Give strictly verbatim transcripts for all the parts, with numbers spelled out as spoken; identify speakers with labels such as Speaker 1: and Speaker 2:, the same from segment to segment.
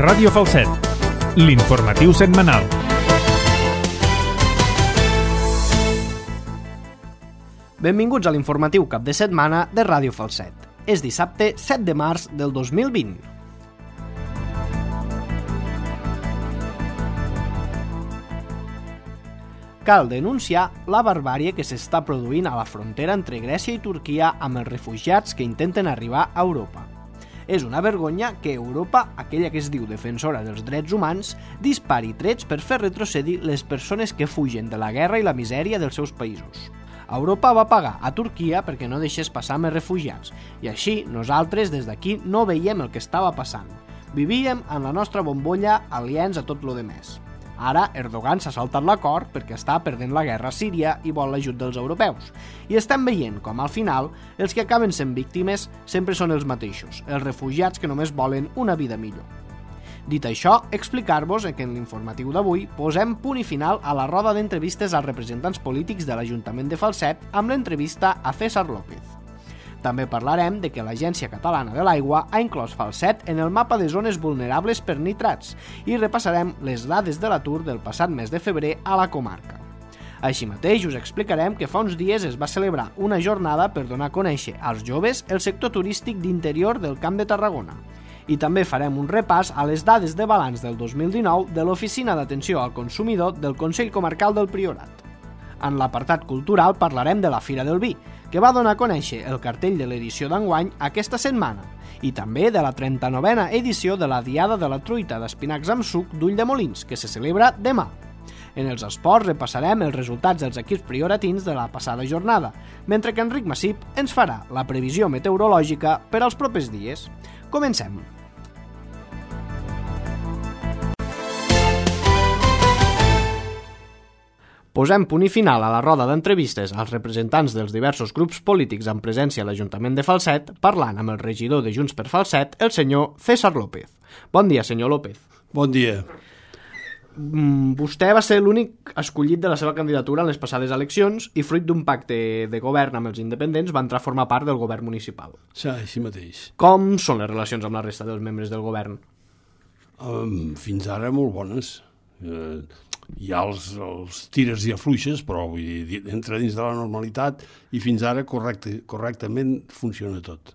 Speaker 1: Ràdio Falset, l'informatiu setmanal.
Speaker 2: Benvinguts a l'informatiu cap de setmana de Ràdio Falset. És dissabte set de març del dos mil vint. Cal denunciar la barbàrie que s'està produint a la frontera entre Grècia i Turquia amb els refugiats que intenten arribar a Europa. És una vergonya que Europa, aquella que es diu defensora dels drets humans, dispari trets per fer retrocedir les persones que fugen de la guerra i la misèria dels seus països. Europa va pagar a Turquia perquè no deixés passar més refugiats, i així nosaltres des d'aquí no veiem el que estava passant. Vivíem en la nostra bombolla aliens a tot lo demés. Ara Erdogan s'ha saltat l'acord perquè està perdent la guerra a Síria i vol l'ajut dels europeus. I estem veient com al final els que acaben sent víctimes sempre són els mateixos, els refugiats que només volen una vida millor. Dit això, explicar-vos que en l'informatiu d'avui posem punt i final a la roda d'entrevistes als representants polítics de l'Ajuntament de Falset amb l'entrevista a César López. També parlarem de que l'Agència Catalana de l'Aigua ha inclòs Falset en el mapa de zones vulnerables per nitrats i repassarem les dades de l'atur del passat mes de febrer a la comarca. Així mateix us explicarem que fa uns dies es va celebrar una jornada per donar a conèixer als joves el sector turístic d'interior del Camp de Tarragona. I també farem un repàs a les dades de balanç del dos mil dinou de l'Oficina d'Atenció al Consumidor del Consell Comarcal del Priorat. En l'apartat cultural parlarem de la Fira del Vi, que va donar a conèixer el cartell de l'edició d'enguany aquesta setmana, i també de la trenta-novena edició de la Diada de la Truita d'Espinacs amb suc d'Ulldemolins, que se celebra demà. En els esports repassarem els resultats dels equips prioratins de la passada jornada, mentre que Enric Massip ens farà la previsió meteorològica per als propers dies. Comencem! Posem punt i final a la roda d'entrevistes als representants dels diversos grups polítics amb presència a l'Ajuntament de Falset, parlant amb el regidor de Junts per Falset, el senyor César López. Bon dia, senyor López.
Speaker 3: Bon dia.
Speaker 2: Vostè va ser l'únic escollit de la seva candidatura en les passades eleccions i, fruit d'un pacte de govern amb els independents, va entrar a formar part del govern municipal.
Speaker 3: Sí, així mateix.
Speaker 2: Com són les relacions amb la resta dels membres del govern?
Speaker 3: Um, fins ara molt bones. Uh, hi ha els, els tires i afluixes, però vull dir, entra dins de la normalitat i fins ara correcte, correctament funciona tot.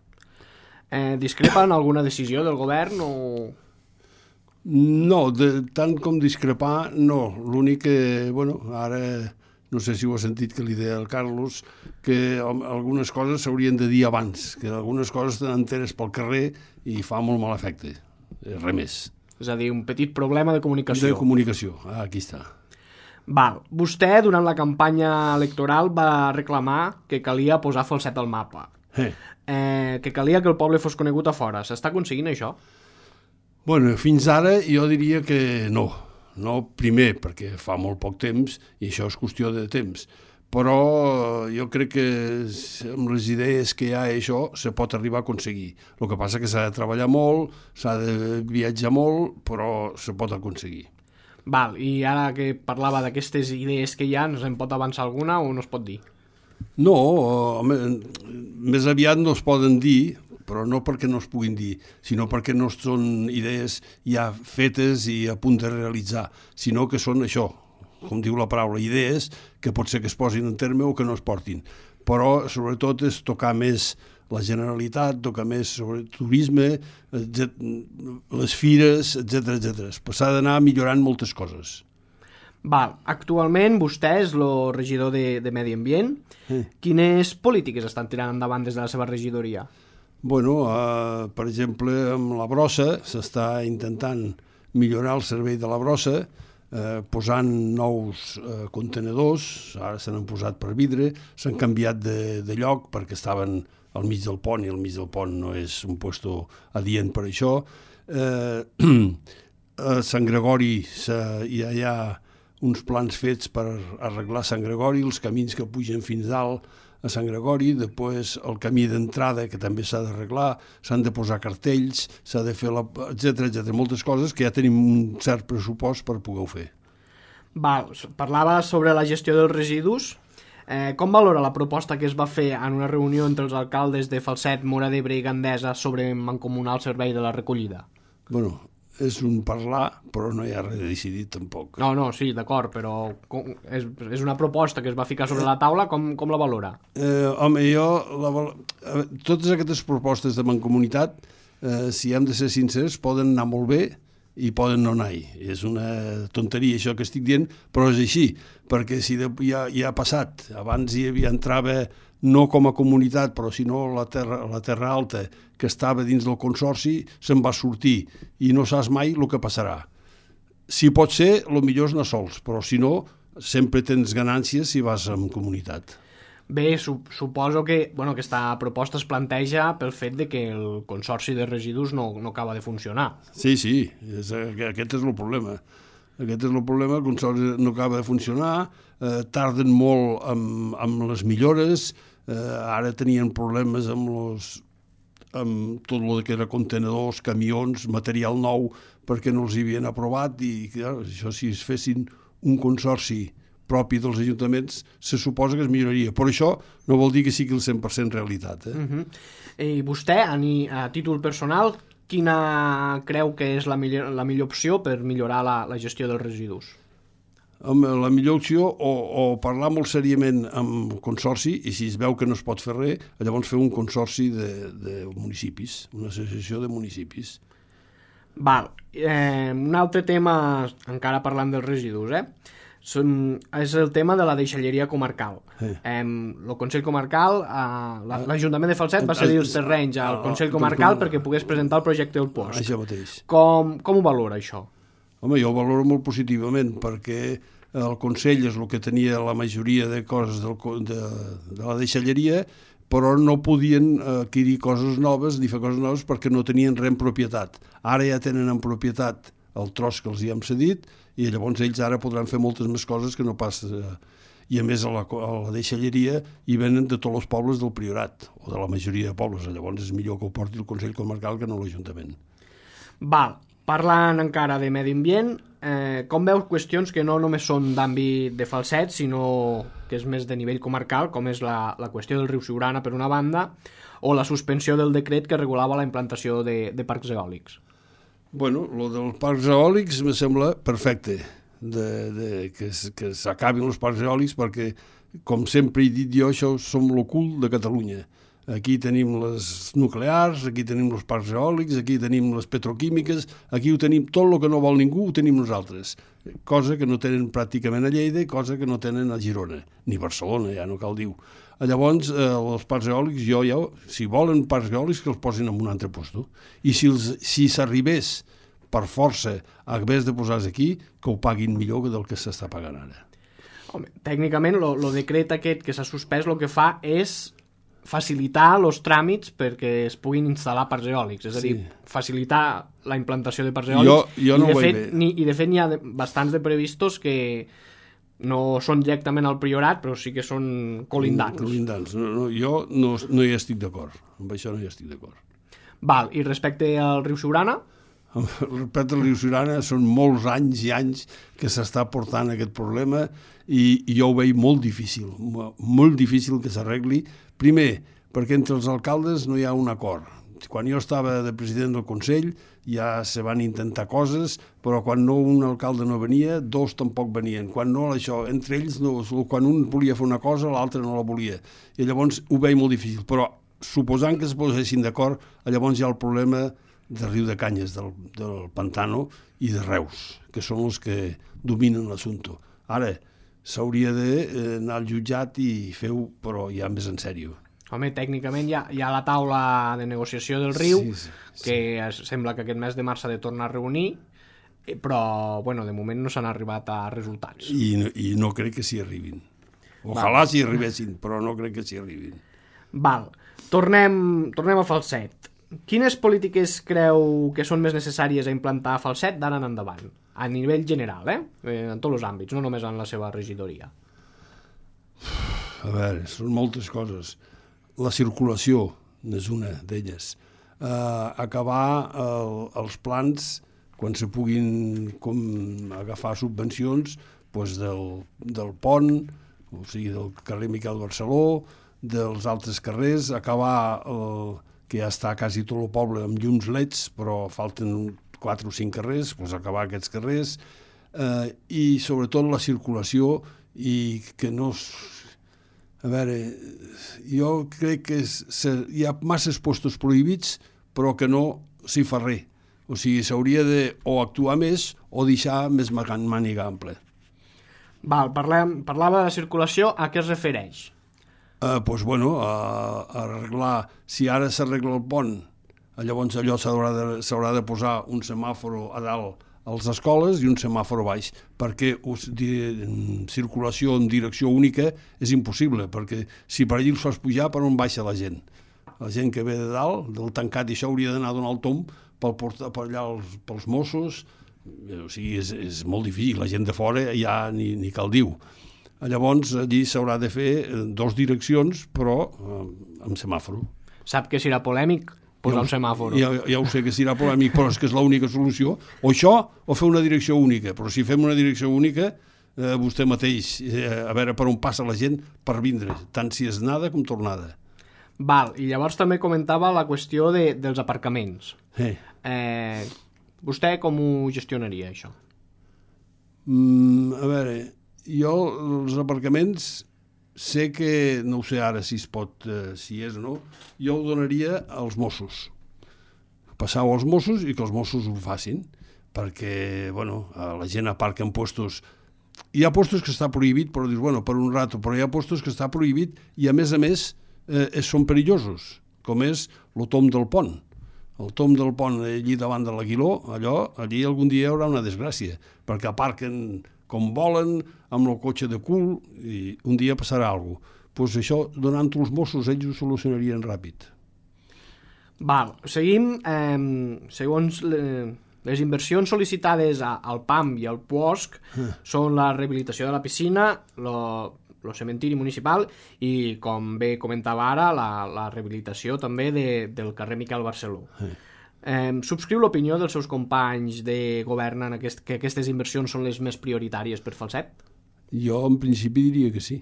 Speaker 2: Eh, discrepa en alguna decisió del govern o...?
Speaker 3: No, de, tant com discrepar, no. L'únic que, bueno, ara no sé si ho ha sentit que li deia el Carlos, que algunes coses s'haurien de dir abans, que algunes coses t'enteres pel carrer i fa molt mal efecte. Res més.
Speaker 2: És a dir, un petit problema de comunicació.
Speaker 3: De comunicació, ah, aquí està.
Speaker 2: Val. Vostè, durant la campanya electoral, va reclamar que calia posar Falset al mapa.
Speaker 3: Eh.
Speaker 2: Eh, que calia que el poble fos conegut a fora. S'està aconseguint això?
Speaker 3: Bueno, fins ara jo diria que no. No, primer, perquè fa molt poc temps, i això és qüestió de temps. Però jo crec que amb les idees que hi ha això se pot arribar a aconseguir. El que passa que s'ha de treballar molt, s'ha de viatjar molt, però se pot aconseguir.
Speaker 2: Val, i ara que parlava d'aquestes idees que hi ha, no se'n pot avançar alguna o no es pot dir?
Speaker 3: No, home, més aviat no es poden dir, però no perquè no es puguin dir, sinó perquè no són idees ja fetes i a punt de realitzar, sinó que són això, com diu la paraula, idees que pot ser que es posin en terme o que no es portin. Però, sobretot, és tocar més la Generalitat, tocar més sobre turisme, les fires, etcètera, etcètera. S'ha d'anar millorant moltes coses.
Speaker 2: Val. Actualment vostè és el regidor de, de Medi Ambient. Eh. Quines polítiques estan tirant endavant des de la seva regidoria?
Speaker 3: Bueno, eh, per exemple, amb la brossa s'està intentant millorar el servei de la brossa, Eh, posant nous eh, contenedors, ara se n'han posat per vidre, s'han canviat de, de lloc perquè estaven al mig del pont i al mig del pont no és un puesto adient per això. Eh, a Sant Gregori ja hi ha uns plans fets per arreglar Sant Gregori, els camins que pugen fins dalt a Sant Gregori, després el camí d'entrada que també s'ha d'arreglar, s'han de posar cartells, s'ha de fer, la, etcètera, etcètera, moltes coses que ja tenim un cert pressupost per poder-ho fer.
Speaker 2: Val, parlava sobre la gestió dels residus. Eh, com valora la proposta que es va fer en una reunió entre els alcaldes de Falset, Móra d'Ebre i Gandesa sobre mancomunar el servei de la recollida?
Speaker 3: Bueno, és un parlar, però no hi ha res decidit tampoc.
Speaker 2: No, no, sí, d'acord, però com, és, és una proposta que es va ficar sobre la taula, com, com la valora?
Speaker 3: Eh, home, jo... La, totes aquestes propostes de mancomunitat, eh, si hem de ser sincers, poden anar molt bé i poden no anar-hi. És una tonteria això que estic dient, però és així, perquè si de, ja, ja ha passat, abans hi havia, entrava no com a comunitat, però sinó la terra, la terra alta, que estava dins del consorci, se'n va sortir i no saps mai el que passarà. Si pot ser, el millor és anar sols, però si no, sempre tens ganàncies si vas en comunitat.
Speaker 2: Bé, su suposo que bueno, aquesta proposta es planteja pel fet de que el consorci de residus no, no acaba de funcionar.
Speaker 3: Sí, sí, és, aquest és el problema. Aquest és el problema, el consorci no acaba de funcionar, eh, tarden molt amb, amb les millores, eh, ara tenien problemes amb, los, amb tot el que era contenedors, camions, material nou, perquè no els havien aprovat i clar, això si es fessin un consorci propi dels ajuntaments, se suposa que es milloraria. Però això no vol dir que sigui el cent per cent realitat. Eh?
Speaker 2: Uh-huh. I vostè, a, ni, a títol personal, quina creu que és la millor, la millor opció per millorar la, la gestió dels residus?
Speaker 3: Home, la millor opció, o, o parlar molt seriament amb el consorci, i si es veu que no es pot fer res, llavors fer un consorci de, de municipis, una associació de municipis.
Speaker 2: Val. Eh, un altre tema, encara parlant dels residus, eh? Són, és el tema de la deixalleria comarcal. Sí. Eh, el Consell Comarcal, eh, l'Ajuntament de Falset va cedir els terrenys al Consell Comarcal perquè pogués presentar el projecte del post.
Speaker 3: Això mateix.
Speaker 2: Com, com ho valora, això?
Speaker 3: Home, jo ho valoro molt positivament, perquè el Consell és el que tenia la majoria de coses del, de, de la deixalleria, però no podien adquirir coses noves ni fer coses noves perquè no tenien res en propietat. Ara ja tenen en propietat el tros que els hi hem cedit, i llavors ells ara podran fer moltes més coses que no pas... Eh, I a més a la, a la deixalleria hi venen de tots els pobles del Priorat, o de la majoria de pobles, llavors és millor que ho porti el Consell Comarcal que no l'Ajuntament.
Speaker 2: Val, parlant encara de medi ambient, eh, com veus qüestions que no només són d'àmbit de Falset, sinó que és més de nivell comarcal, com és la, la qüestió del riu Siurana per una banda, o la suspensió del decret que regulava la implantació de, de parcs eòlics?
Speaker 3: Bueno, lo dels parcs eòlics me sembla perfecte, de, de, que, que s'acabin els parcs eòlics perquè, com sempre he dit jo, això som el cul de Catalunya. Aquí tenim les nuclears, aquí tenim els parcs eòlics, aquí tenim les petroquímiques, aquí ho tenim, tot el que no vol ningú ho tenim nosaltres. Cosa que no tenen pràcticament a Lleida, cosa que no tenen a Girona, ni Barcelona, ja no cal dir. Llavors, eh, els parcs eòlics, jo ja, si volen parcs eòlics, que els posin en un altre lloc. I si, els, si s'arribés per força a haver de posar-se aquí, que ho paguin millor que del que s'està pagant ara.
Speaker 2: Home, tècnicament, el decret aquest que s'ha suspès el que fa és facilitar els tràmits perquè es puguin instal·lar parcs eòlics, és a dir, sí. facilitar la implantació de parcs eòlics,
Speaker 3: jo, jo no
Speaker 2: i, de
Speaker 3: ho
Speaker 2: fet,
Speaker 3: veig
Speaker 2: ni, i de fet n'hi ha de, bastants de previstos que no són directament al Priorat, però sí que són colindants.
Speaker 3: Colindants. No, no, jo no, no hi estic d'acord. Amb això no hi estic d'acord.
Speaker 2: Val, i respecte al riu Siurana?
Speaker 3: Respecte al riu Siurana són molts anys i anys que s'està portant aquest problema i, i jo ho veig molt difícil, molt difícil que s'arregli. Primer, perquè entre els alcaldes no hi ha un acord. Quan jo estava de president del Consell ja se van intentar coses, però quan no un alcalde no venia, dos tampoc venien. Quan no, això, entre ells, no, quan un volia fer una cosa, l'altre no la volia. I llavors ho veig molt difícil. Però suposant que es posessin d'acord, llavors hi ha el problema del riu de Canyes, del, del Pantano i de Reus, que són els que dominen l'assumpte. Ara, s'hauria d'anar al jutjat i fer-ho, però ja més en sèrio.
Speaker 2: Home, tècnicament hi ha, hi ha la taula de negociació del riu, sí, sí, sí. que es, sembla que aquest mes de març s'ha de tornar a reunir, però, bueno, de moment no s'han arribat a resultats.
Speaker 3: I no, i no crec que s'hi arribin. Ojalà s'hi arribessin, però no crec que s'hi arribin.
Speaker 2: Val. Tornem, tornem a Falset. Quines polítiques creu que són més necessàries a implantar a Falset d'ara en endavant? A nivell general, eh? En tots els àmbits, no només en la seva regidoria.
Speaker 3: A veure, són moltes coses. La circulació és una d'elles. Uh, acabar el, els plans, quan se puguin com, agafar subvencions, doncs del, del pont, o sigui, del carrer Miquel Barceló, dels altres carrers, acabar el, que ja està quasi tot el poble amb llums leds, però falten quatre o cinc carrers, doncs acabar aquests carrers, eh, i sobretot la circulació, i que no... A veure, jo crec que és, hi ha masses postos prohibits, però que no s'hi fa res. O sigui, s'hauria de o actuar més o deixar més màniga ampla.
Speaker 2: Val, parlem, parlava de la circulació, a què es refereix?
Speaker 3: Eh, doncs, bueno, a, a arreglar... Si ara s'arregla el pont, llavors allò s'haurà de, s'haurà de posar un semàforo a dalt a les escoles i un semàforo baix, perquè us, di, circulació en direcció única és impossible, perquè si per allà els fas pujar, per on baixa la gent? La gent que ve de dalt, del tancat, i això hauria d'anar a donar el tomb pel, per allà els, pels Mossos, o sigui, és, és molt difícil, la gent de fora ja ni, ni cal diu. Llavors, allí s'haurà de fer dos direccions, però eh, amb semàforo.
Speaker 2: Sap que serà polèmic posar un semàforo.
Speaker 3: Ja, ja ho sé que serà polèmic, però és que és l'única solució. O això, o fer una direcció única. Però si fem una direcció única, eh, vostè mateix, eh, a veure per on passa la gent per vindre, tant si és anada com tornada.
Speaker 2: Val, i llavors també comentava la qüestió de, dels aparcaments.
Speaker 3: Eh.
Speaker 2: Eh, vostè com ho gestionaria, això?
Speaker 3: Mm, a veure, jo els aparcaments... sé que, no ho sé ara si es pot, eh, si és o no, jo ho donaria als Mossos. Passau als Mossos i que els Mossos ho facin, perquè, bueno, la gent aparca en puestos... Hi ha puestos que està prohibit, però dius, bueno, per un rato, però hi ha puestos que està prohibit i, a més a més, eh, són perillosos, com és el tomb del pont. El tomb del pont allí davant de l'Aguiló, allò, allí algun dia hi haurà una desgràcia, perquè aparquen com volen, amb el cotxe de cul, i un dia passarà alguna cosa. Doncs això, donant-ho als Mossos, ells ho solucionarien ràpid.
Speaker 2: Val, seguim. Eh, segons les inversions sol·licitades a, al P A M i al P U O S C eh. són la rehabilitació de la piscina, el cementiri municipal i, com bé comentava ara, la, la rehabilitació també de, del carrer Miquel Barceló. Eh. Eh, subscriu l'opinió dels seus companys de govern en aquest, que aquestes inversions són les més prioritàries per Falset?
Speaker 3: Jo en principi diria que sí.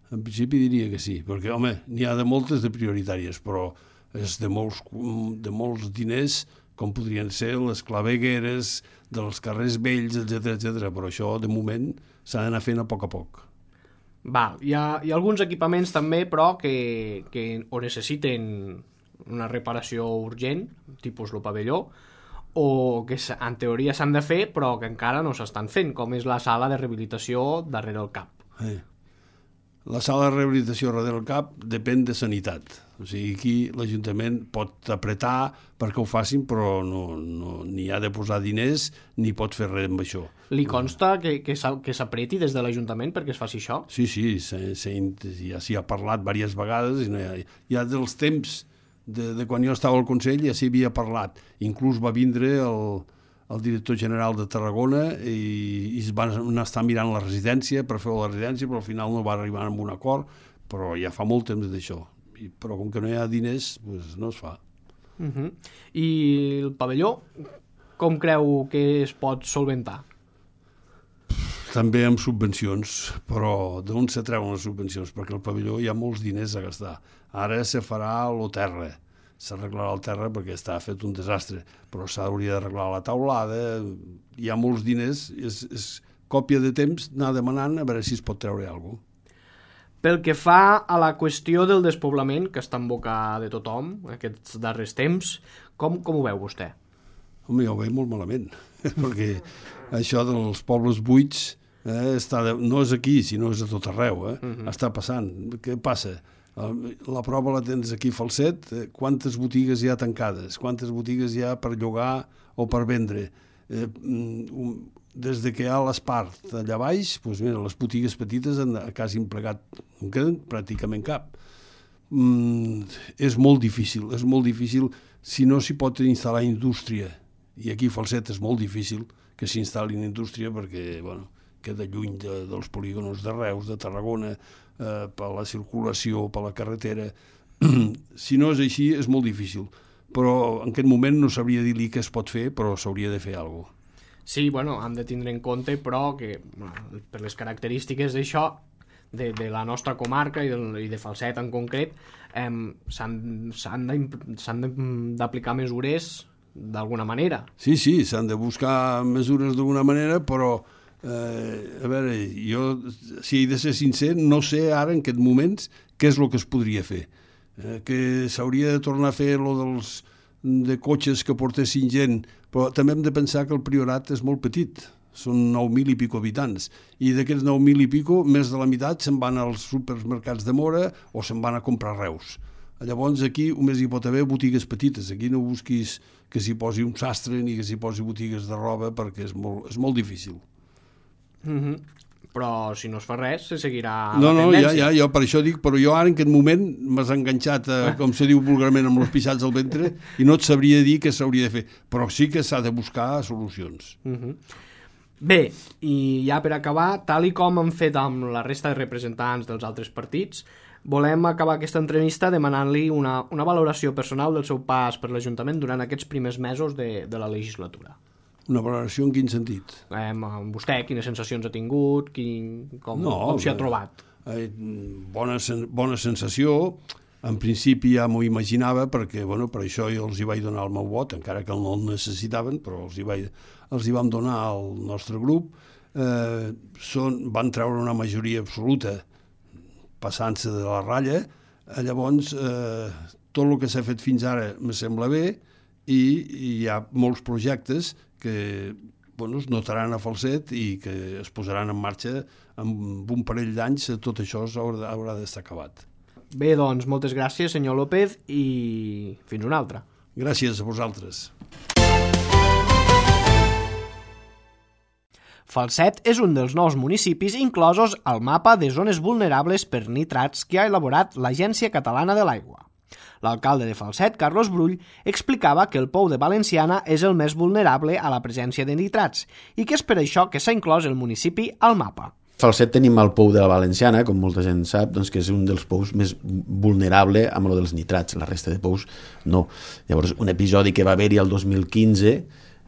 Speaker 3: En principi diria que sí, perquè, home, n'hi ha de moltes de prioritàries, però és de molts, de molts diners, com podrien ser les clavegueres dels carrers vells, etcètera, etcètera. Però això, de moment, s'ha d'anar fent a poc a poc.
Speaker 2: Val. Hi ha, hi ha alguns equipaments també, però, que, que o necessiten una reparació urgent, tipus el pavelló, o que en teoria s'han de fer però que encara no s'estan fent, com és la sala de rehabilitació darrere el CAP.
Speaker 3: Eh. La sala de rehabilitació darrere el CAP depèn de sanitat. O sigui, aquí l'Ajuntament pot apretar perquè ho facin, però no, no, ni ha de posar diners ni pot fer res amb això.
Speaker 2: Li consta que, que s'apreti des de l'Ajuntament perquè es faci això?
Speaker 3: Sí, sí, se, se, ja s'hi ha parlat diverses vegades i no hi ha, hi ha dels temps De, de quan jo estava al Consell ja s'hi havia parlat. Inclús va vindre el, el director general de Tarragona i, i es van estar mirant la residència per fer la residència, però al final no va arribar a un acord, però ja fa molt temps d'això. I, però com que no hi ha diners, doncs no es fa.
Speaker 2: Uh-huh. I el pavelló, com creu que es pot solventar?
Speaker 3: També amb subvencions, però d'on se treuen les subvencions? Perquè el pavelló hi ha molts diners a gastar. Ara se farà el terra, s'arreglarà el terra perquè està fet un desastre, però s'hauria d'arreglar la taulada, hi ha molts diners, és, és còpia de temps anar demanant a veure si es pot treure alguna cosa.
Speaker 2: Pel que fa a la qüestió del despoblament, que està en boca de tothom aquests darrers temps, com, com ho veu vostè?
Speaker 3: Home, jo ho veig molt malament, perquè això dels pobles buits eh, està de, no és aquí, sinó és a tot arreu, eh? Uh-huh. Està passant. Què passa? La prova la tens aquí a Falset, quantes botigues hi ha tancades, quantes botigues hi ha per llogar o per vendre. Eh, des de que hi ha l'Espart allà baix, doncs mira, les botigues petites han quasi plegat, no queden pràcticament cap. Mm, és molt difícil, és molt difícil si no s'hi pot instal·lar indústria, i aquí a Falset és molt difícil que s'instal·lin indústria perquè, bueno, queda lluny de, dels polígons de Reus, de Tarragona, Eh, per la circulació, per la carretera. Si no és així, és molt difícil. Però en aquest moment no sabria dir-li què es pot fer, però s'hauria de fer alguna cosa.
Speaker 2: Sí, bueno, hem de tindre en compte, però, que bueno, per les característiques d'això, de, de la nostra comarca i, del, i de Falset en concret, eh, s'han d'aplicar mesures d'alguna manera.
Speaker 3: Sí, sí, s'han de buscar mesures d'alguna manera, però, eh, a veure, jo, si he de ser sincer, no sé ara, en aquests moments, què és el que es podria fer. Eh, que s'hauria de tornar a fer lo dels, de cotxes que portessin gent, però també hem de pensar que el Priorat és molt petit, són nou mil i pico habitants, i d'aquests nou mil i pico, més de la meitat se'n van als supermercats de Mora o se'n van a comprar Reus. Llavors aquí només hi pot haver botigues petites, aquí no busquis que s'hi posi un sastre ni que s'hi posi botigues de roba perquè és molt, és molt difícil.
Speaker 2: Mm-hmm. Però si no es fa res, se seguirà
Speaker 3: no,
Speaker 2: la
Speaker 3: no,
Speaker 2: tendència.
Speaker 3: Ja, ja, jo per això dic, però jo ara en aquest moment m'has enganxat, a, com se diu vulgarment, amb els pixats al ventre i no et sabria dir què s'hauria de fer, però sí que s'ha de buscar solucions.
Speaker 2: Mm-hmm. Bé, i ja per acabar, tal i com hem fet amb la resta de representants dels altres partits, volem acabar aquesta entrevista demanant-li una, una valoració personal del seu pas per l'Ajuntament durant aquests primers mesos de, de la legislatura.
Speaker 3: Una valoració en quin sentit?
Speaker 2: Eh, vostè, quines sensacions ha tingut, quin, com,
Speaker 3: no,
Speaker 2: com s'hi ha trobat?
Speaker 3: Eh, bona, bona sensació, en principi ja m'ho imaginava, perquè bueno, per això jo els hi vaig donar el meu vot, encara que no el necessitaven, però els hi, vaig, els hi vam donar al nostre grup. Eh, són, van treure una majoria absoluta, passant-se de la ratlla, llavors eh, tot el que s'ha fet fins ara me sembla bé i, i hi ha molts projectes que bueno, es notaran a Falset i que es posaran en marxa amb un parell d'anys, tot això haurà, haurà d'estar acabat.
Speaker 2: Bé, doncs, moltes gràcies, senyor López, i fins una altra.
Speaker 3: Gràcies a vosaltres.
Speaker 2: Falset és un dels nous municipis inclosos al mapa de zones vulnerables per nitrats que ha elaborat l'Agència Catalana de l'Aigua. L'alcalde de Falset, Carlos Brull, explicava que el Pou de Valenciana és el més vulnerable a la presència de nitrats i que és per això que s'ha inclòs el municipi al mapa.
Speaker 4: Falset tenim el Pou de la Valenciana, com molta gent sap, doncs, que és un dels pous més vulnerable amb el dels nitrats, la resta de pous no. Llavors, un episodi que va haver-hi el dos mil quinze,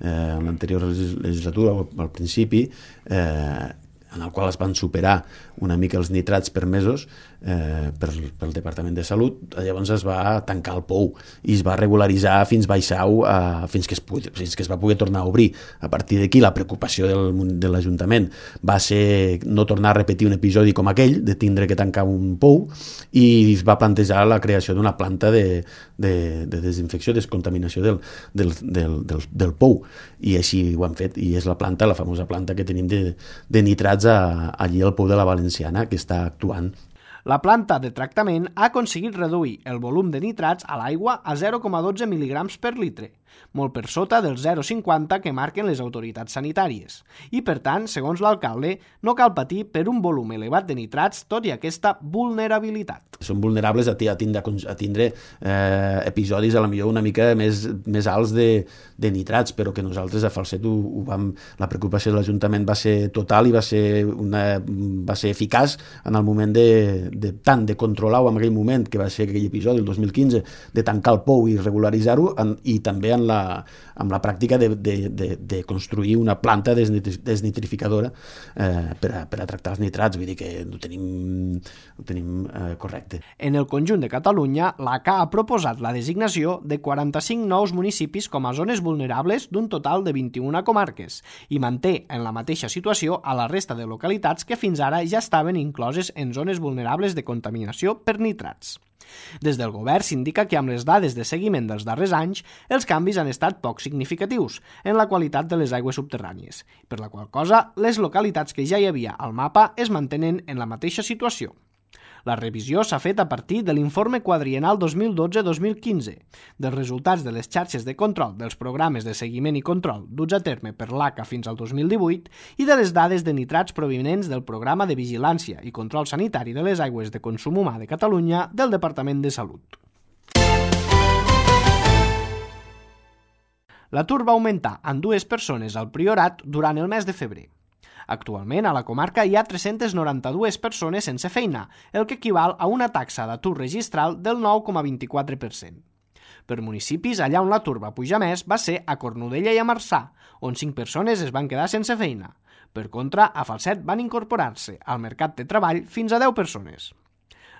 Speaker 4: eh, en l'anterior legislatura, al principi, eh, en el qual es van superar una mica els nitrats permesos eh, per, pel Departament de Salut, llavors es va tancar el pou i es va regularitzar fins baixau, eh, fins, que es pugui, fins que es va poder tornar a obrir. A partir d'aquí la preocupació del, de l'Ajuntament va ser no tornar a repetir un episodi com aquell, de tindre que tancar un pou, i es va plantejar la creació d'una planta de, de, de desinfecció, descontaminació del, del, del, del, del pou, i així ho han fet, i és la planta, la famosa planta que tenim de, de nitrats a, allí al Pou de la Valenciana, que està actuant.
Speaker 2: La planta de tractament ha aconseguit reduir el volum de nitrats a l'aigua a zero coma dotze mil·ligrams per litre, molt per sota del zero coma cinquanta que marquen les autoritats sanitàries. I, per tant, segons l'alcalde, no cal patir per un volum elevat de nitrats, tot i aquesta vulnerabilitat.
Speaker 4: Són vulnerables a, a tindre, a tindre eh, episodis a la millor una mica més, més alts de, de nitrats, però que nosaltres a Falset ho, ho vam, la preocupació de l'Ajuntament va ser total i va ser, una, va ser eficaç en el moment de, de tant de controlar-ho en aquell moment, que va ser aquell episodi, el dos mil quinze, de tancar el pou i regularitzar-ho, i també en la, amb la pràctica de, de, de, de construir una planta desnitrificadora eh, per, a, per a tractar els nitrats, vull dir que ho tenim, ho tenim eh, correcte.
Speaker 2: En el conjunt de Catalunya, l'A C A ha proposat la designació de quaranta-cinc nous municipis com a zones vulnerables d'un total de vint-i-una comarques i manté en la mateixa situació a la resta de localitats que fins ara ja estaven incloses en zones vulnerables de contaminació per nitrats. Des del govern s'indica que amb les dades de seguiment dels darrers anys els canvis han estat poc significatius en la qualitat de les aigües subterrànies, per la qual cosa les localitats que ja hi havia al mapa es mantenen en la mateixa situació. La revisió s'ha fet a partir de l'informe quadriennal dos mil dotze dos mil quinze, dels resultats de les xarxes de control dels programes de seguiment i control duts a terme per l'A C A fins al dos mil divuit i de les dades de nitrats provinents del Programa de Vigilància i Control Sanitari de les Aigües de Consum Humà de Catalunya del Departament de Salut. L'atur va augmentar en dues persones al Priorat durant el mes de febrer. Actualment, a la comarca hi ha tres-centes noranta-dues persones sense feina, el que equival a una taxa d'atur registral del nou coma vint-i-quatre per cent. Per municipis, allà on l'atur va pujar més va ser a Cornudella i a Marçà, on cinc persones es van quedar sense feina. Per contra, a Falset van incorporar-se al mercat de treball fins a deu persones.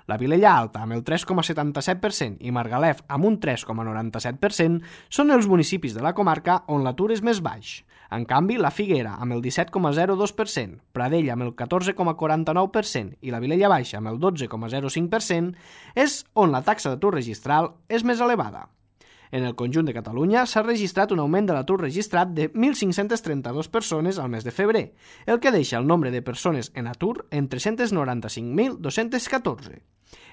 Speaker 2: La Vilella Alta, amb el tres coma setanta-set per cent, i Margalef, amb un tres coma noranta-set per cent, són els municipis de la comarca on l'atur és més baix. En canvi, la Figuera, amb el disset coma zero dos per cent, Pradell, amb el catorze coma quaranta-nou per cent i la Vilella Baixa, amb el dotze coma zero cinc per cent, és on la taxa d'atur registral és més elevada. En el conjunt de Catalunya s'ha registrat un augment de l'atur registrat de mil cinc-cents trenta-dues persones al mes de febrer, el que deixa el nombre de persones en atur en tres-cents noranta-cinc mil dos-cents catorze.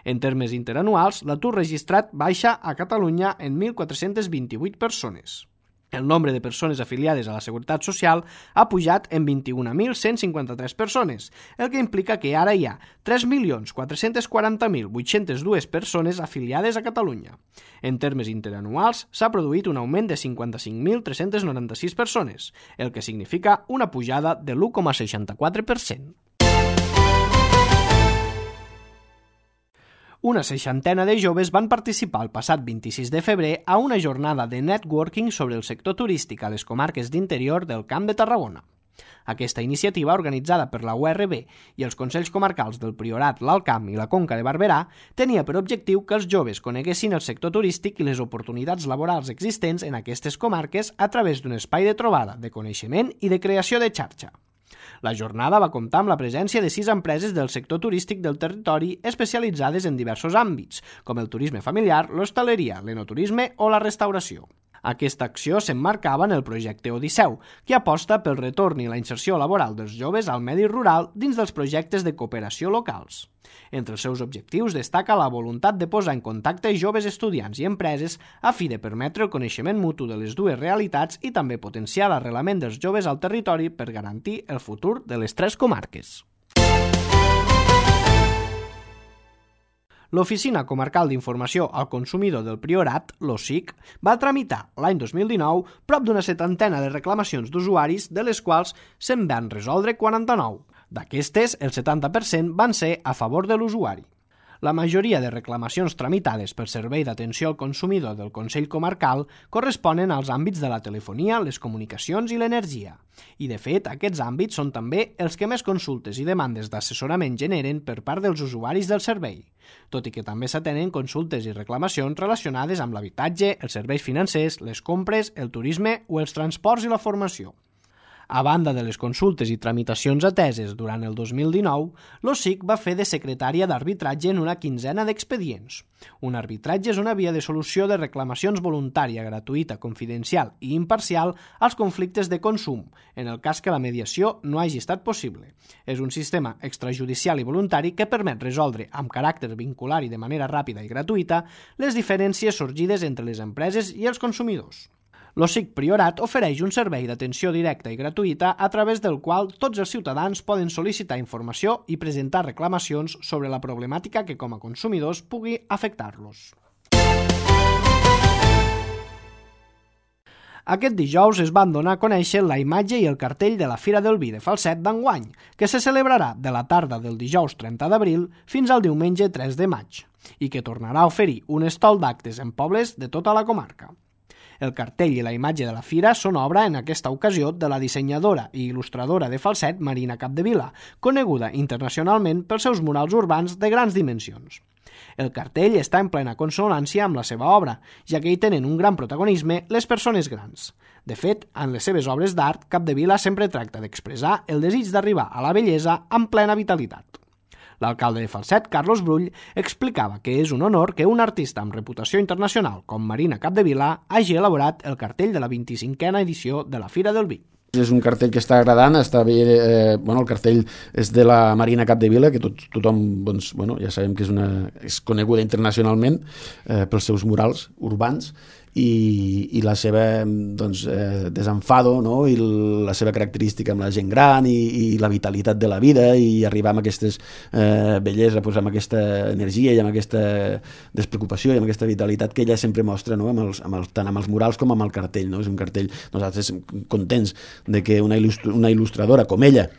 Speaker 2: En termes interanuals, l'atur registrat baixa a Catalunya en mil quatre-cents vint-i-vuit persones. El nombre de persones afiliades a la Seguretat Social ha pujat en vint-i-un mil cent cinquanta-tres persones, el que implica que ara hi ha tres milions quatre-cents quaranta mil vuit-cents dos persones afiliades a Catalunya. En termes interanuals, s'ha produït un augment de cinquanta-cinc mil tres-cents noranta-sis persones, el que significa una pujada de l'u coma seixanta-quatre per cent. Una seixantena de joves van participar el passat vint-i-sis de febrer a una jornada de networking sobre el sector turístic a les comarques d'interior del Camp de Tarragona. Aquesta iniciativa, organitzada per la U R B i els Consells Comarcals del Priorat, l'Alt Camp i la Conca de Barberà, tenia per objectiu que els joves coneguessin el sector turístic i les oportunitats laborals existents en aquestes comarques a través d'un espai de trobada, de coneixement i de creació de xarxa. La jornada va comptar amb la presència de sis empreses del sector turístic del territori especialitzades en diversos àmbits, com el turisme familiar, l'hostaleria, l'enoturisme o la restauració. Aquesta acció s'emmarcava en el projecte Odisseu, que aposta pel retorn i la inserció laboral dels joves al medi rural dins dels projectes de cooperació locals. Entre els seus objectius destaca la voluntat de posar en contacte joves estudiants i empreses a fi de permetre el coneixement mutu de les dues realitats i també potenciar l'arrelament dels joves al territori per garantir el futur de les tres comarques. L'Oficina Comarcal d'Informació al Consumidor del Priorat, l'O S I C, va tramitar l'any dos mil dinou prop d'una setantena de reclamacions d'usuaris, de les quals se'n van resoldre quaranta-nou. D'aquestes, el setanta per cent van ser a favor de l'usuari. La majoria de reclamacions tramitades pel Servei d'Atenció al Consumidor del Consell Comarcal corresponen als àmbits de la telefonia, les comunicacions i l'energia. I, de fet, aquests àmbits són també els que més consultes i demandes d'assessorament generen per part dels usuaris del servei, tot i que també s'atenen consultes i reclamacions relacionades amb l'habitatge, els serveis financers, les compres, el turisme o els transports i la formació. A banda de les consultes i tramitacions ateses durant el dos mil dinou, l'O S I C va fer de secretària d'arbitratge en una quinzena d'expedients. Un arbitratge és una via de solució de reclamacions voluntària, gratuïta, confidencial i imparcial als conflictes de consum, en el cas que la mediació no hagi estat possible. És un sistema extrajudicial i voluntari que permet resoldre, amb caràcter vincular i de manera ràpida i gratuïta, les diferències sorgides entre les empreses i els consumidors. L'O S I C Priorat ofereix un servei d'atenció directa i gratuïta a través del qual tots els ciutadans poden sol·licitar informació i presentar reclamacions sobre la problemàtica que com a consumidors pugui afectar-los. Aquest dijous es van donar a conèixer la imatge i el cartell de la Fira del Vi de Falset d'enguany, que se celebrarà de la tarda del dijous trenta d'abril fins al diumenge tres de maig, i que tornarà a oferir un estol d'actes en pobles de tota la comarca. El cartell i la imatge de la fira són obra en aquesta ocasió de la dissenyadora i il·lustradora de Falset, Marina Capdevila, coneguda internacionalment pels seus murals urbans de grans dimensions. El cartell està en plena consonància amb la seva obra, ja que hi tenen un gran protagonisme les persones grans. De fet, en les seves obres d'art, Capdevila sempre tracta d'expressar el desig d'arribar a la bellesa amb plena vitalitat. L'alcalde de Falset, Carlos Brull, explicava que és un honor que un artista amb reputació internacional com Marina Capdevila hagi elaborat el cartell de la vint-i-cinquena edició de la Fira del Vi.
Speaker 4: És un cartell que està agradant, està bé, eh, bueno, el cartell és de la Marina Capdevila, que tot, tothom, doncs, bueno, ja sabem que és, una, és coneguda internacionalment eh, pels seus murals urbans, i, i la seva doncs, eh, desenfado, no? I la seva característica amb la gent gran i, i la vitalitat de la vida i arribar amb aquestes eh, bellesa, pues, amb aquesta energia i amb aquesta despreocupació i amb aquesta vitalitat que ella sempre mostra, no? amb els, amb els, tant amb els murals com amb el cartell. No? És un cartell, nosaltres contents de que una, il·lustr una il·lustradora com ella,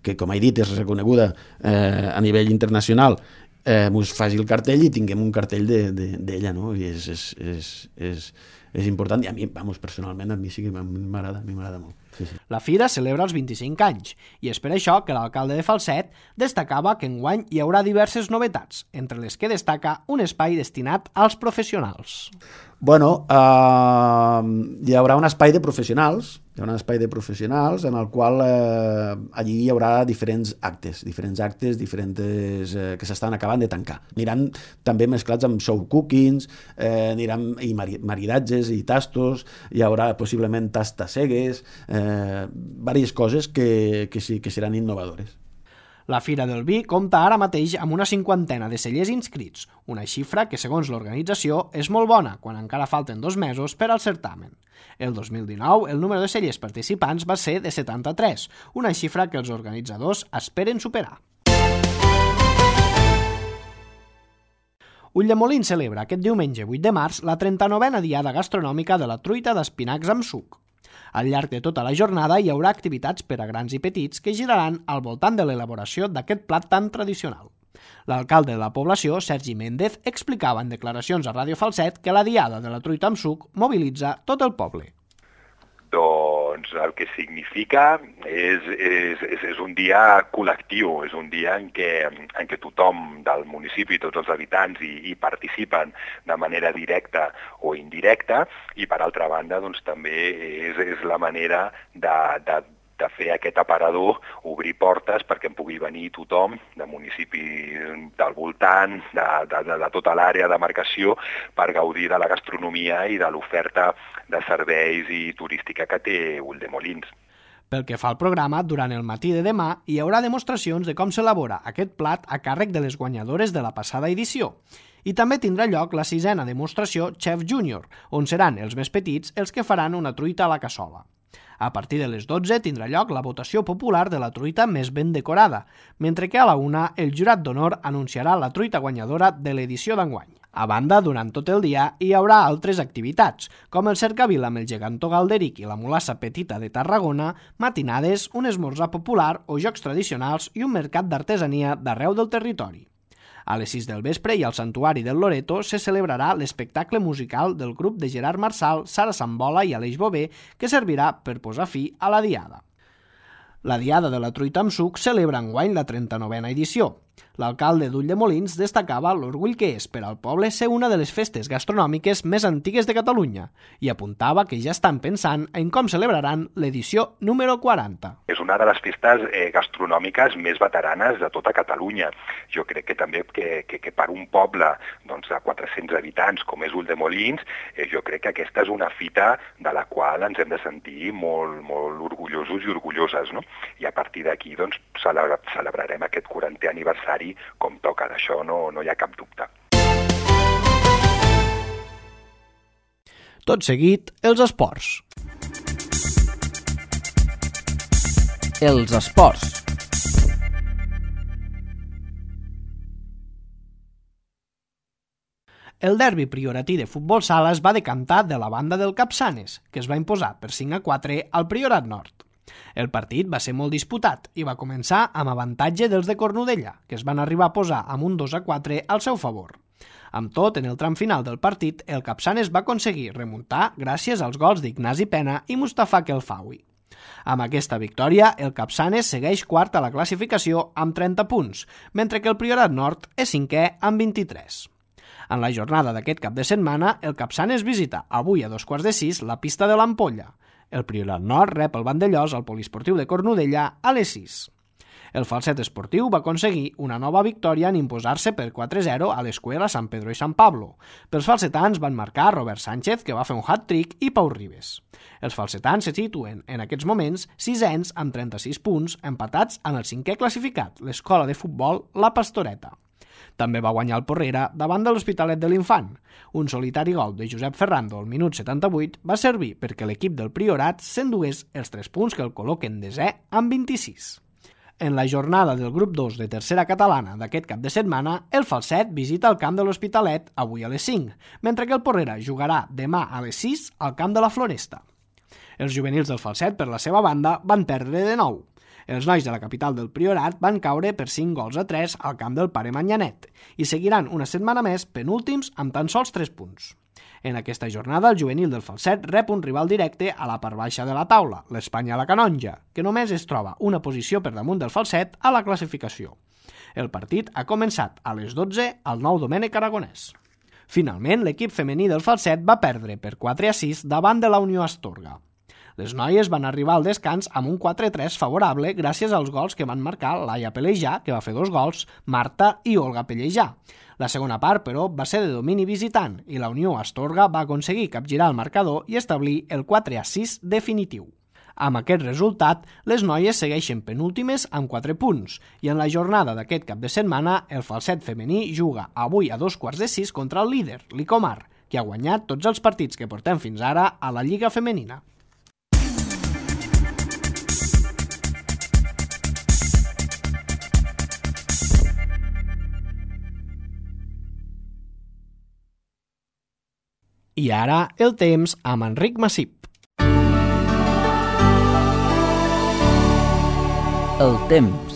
Speaker 4: que com he dit és reconeguda eh, a nivell internacional, eh, mos faci el cartell i tinguem un cartell d'ella, de, de, no? I és, és, és, és, és important, i a mi, vamos, personalment, a mi sí que m'agrada, a mi m'agrada molt. Sí, sí.
Speaker 2: La fira celebra els vint-i-cinc anys i és per això que l'alcalde de Falset destacava que enguany hi haurà diverses novetats, entre les que destaca un espai destinat als professionals.
Speaker 4: Bueno, eh, hi haurà un espai de professionals, hi haurà un espai de professionals en el qual eh, allí hi haurà diferents actes, diferents actes diferents eh, que s'estan acabant de tancar. Aniran també mesclats amb show cookings, eh, aniran i mari, maridatges i tastos, hi haurà possiblement tastacegues, eh, diverses coses que, que, sí, que seran innovadores.
Speaker 2: La Fira del Vi compta ara mateix amb una cinquantena de cellers inscrits, una xifra que, segons l'organització, és molt bona quan encara falten dos mesos per al certamen. El dos mil dinou, el número de cellers participants va ser de setanta-tres, una xifra que els organitzadors esperen superar. Ulldemolins celebra aquest diumenge vuit de març la trenta-novena diada gastronòmica de la truita d'espinacs amb suc. Al llarg de tota la jornada hi haurà activitats per a grans i petits que giraran al voltant de l'elaboració d'aquest plat tan tradicional. L'alcalde de la població, Sergi Méndez, explicava en declaracions a Ràdio Falset que la diada de la truita amb suc mobilitza tot el poble.
Speaker 5: Doncs el que significa és, és, és, és un dia col·lectiu, és un dia en què, en què tothom del municipi, tots els habitants hi, hi participen de manera directa o indirecta, i per altra banda doncs, també és, és la manera de, de, de fer aquest aparador, obrir portes perquè en pugui venir tothom de municipis del voltant, de, de, de, de tota l'àrea de demarcació, per gaudir de la gastronomia i de l'oferta de serveis i turística que té Ulldemolins.
Speaker 2: Pel que fa al programa, durant el matí de demà hi haurà demostracions de com s'elabora aquest plat a càrrec de les guanyadores de la passada edició. I també tindrà lloc la sisena demostració Chef Junior, on seran els més petits els que faran una truita a la cassola. A partir de les dotze tindrà lloc la votació popular de la truita més ben decorada, mentre que a la una el jurat d'honor anunciarà la truita guanyadora de l'edició d'enguany. A banda, durant tot el dia hi haurà altres activitats, com el cercavil amb el gegantó Galderic i la mulassa petita de Tarragona, matinades, un esmorzar popular o jocs tradicionals i un mercat d'artesania d'arreu del territori. A les sis del vespre i al Santuari del Loreto se celebrarà l'espectacle musical del grup de Gerard Marçal, Sara Sambola i Aleix Bové, que servirà per posar fi a la diada. La diada de la truita amb suc celebra enguany la trenta-novena edició. L'alcalde d'Ulldemolins destacava l'orgull que és per al poble ser una de les festes gastronòmiques més antigues de Catalunya i apuntava que ja estan pensant en com celebraran l'edició número quaranta.
Speaker 5: És una de les festes eh, gastronòmiques més veteranes de tota Catalunya. Jo crec que també que, que, que per un poble doncs, de quatre-cents habitants com és Ulldemolins, eh, jo crec que aquesta és una fita de la qual ens hem de sentir molt, molt orgullosos i orgulloses, no? I a partir d'aquí doncs, celebrarem aquest quarantè aniversari com toca, d'això no, no hi ha cap dubte.
Speaker 2: Tot seguit, els esports. Els esports. El derbi prioratí de futbol sala es va decantar de la banda del Capçanes, que es va imposar per cinc a quatre al Priorat Nord. El partit va ser molt disputat i va començar amb avantatge dels de Cornudella, que es van arribar a posar amb un dos a quatre al seu favor. Amb tot, en el tram final del partit, el Capçanes va aconseguir remuntar gràcies als gols d'Ignasi Pena i Mustafa Kelfawi. Amb aquesta victòria, el Capçanes segueix quart a la classificació amb trenta punts, mentre que el Priorat Nord és cinquè amb vint-i-tres. En la jornada d'aquest cap de setmana, el Capçanes visita avui a dos quarts de sis la pista de l'Ampolla. El Priorat Nord rep el Vandellós al Poliesportiu de Cornudella a les sis. El Falset Esportiu va aconseguir una nova victòria en imposar-se per quatre a zero a l'Escuela San Pedro i San Pablo. Pels falsetans van marcar Robert Sánchez, que va fer un hat-trick, i Pau Ribes. Els falsetans se situen en aquests moments sisens amb trenta-sis punts, empatats amb el cinquè classificat, l'escola de futbol La Pastoreta. També va guanyar el Porrera davant de l'Hospitalet de l'Infant. Un solitari gol de Josep Ferrando al minut setanta-vuit va servir perquè l'equip del Priorat s'endugués els tres punts que el col·loquen desè amb vint-i-sis. En la jornada del grup dos de tercera catalana d'aquest cap de setmana, el Falset visita el camp de l'Hospitalet avui a les cinc, mentre que el Porrera jugarà demà a les sis al camp de la Floresta. Els juvenils del Falset, per la seva banda, van perdre de nou. Els nois de la capital del Priorat van caure per cinc gols a tres al camp del Pare Manyanet i seguiran una setmana més penúltims amb tan sols tres punts. En aquesta jornada, el juvenil del Falset rep un rival directe a la part baixa de la taula, l'Espanya a la Canonja, que només es troba una posició per damunt del Falset a la classificació. El partit ha començat a les dotze al Nou Domènec Aragonès. Finalment, l'equip femení del Falset va perdre per quatre a sis davant de la Unió Astorga. Les noies van arribar al descans amb un quatre a tres favorable gràcies als gols que van marcar Laia Pelejà, que va fer dos gols, Marta i Olga Pellejà. La segona part, però, va ser de domini visitant i la Unió Astorga va aconseguir capgirar el marcador i establir el quatre a sis definitiu. Amb aquest resultat, les noies segueixen penúltimes amb quatre punts i en la jornada d'aquest cap de setmana el Falset femení juga avui a dos quarts de sis contra el líder, l'Icomar, que ha guanyat tots els partits que portem fins ara a la Lliga Femenina. I ara el temps amb Enric Massip.
Speaker 6: El temps.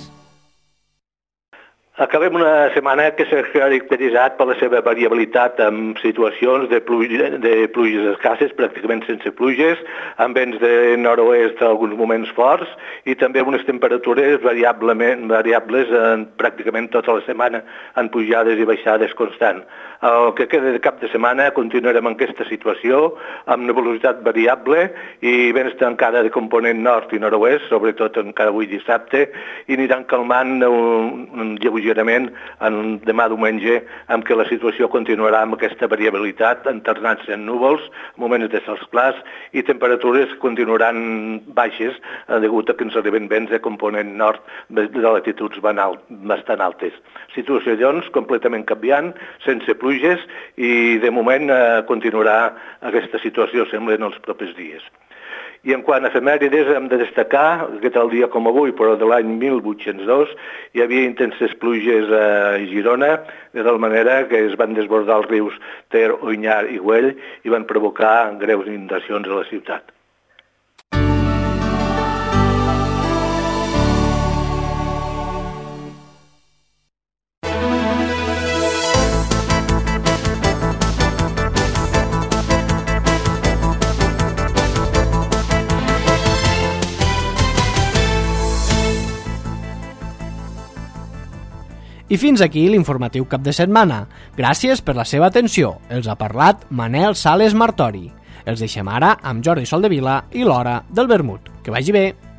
Speaker 7: Acabem una setmana que s'ha caracteritzat per la seva variabilitat amb situacions de, pluja, de pluges escasses, pràcticament sense pluges, amb vents de nord-oest alguns moments forts i també unes temperatures variablement, variables en pràcticament tota la setmana en pujades i baixades constant. El que queda de cap de setmana continuarem en aquesta situació amb nebulositat variable i vents encara de component nord i nord-oest, sobretot encara avui dissabte, i aniran calmant un, un lleugerament en demà diumenge, amb què la situació continuarà amb aquesta variabilitat, alternant-se en núvols, moments de cels clars i temperatures que continuaran baixes degut a que ens arriben vents de component nord de latituds bastant altes. Situació, doncs, completament canviant, sense pluges i de moment eh, continuarà aquesta situació, sembla, en els propers dies. I en quant a efemèrides hem de destacar que tal dia com avui, però de l'any mil vuit-cents dos, hi havia intenses pluges a Girona, de tal manera que es van desbordar els rius Ter, Onyar i Güell i van provocar greus inundacions a la ciutat.
Speaker 2: I fins aquí l'informatiu cap de setmana. Gràcies per la seva atenció. Els ha parlat Manel Sales Martori. Els deixem ara amb Jordi Soldevila i l'Hora del Vermut. Que vagi bé!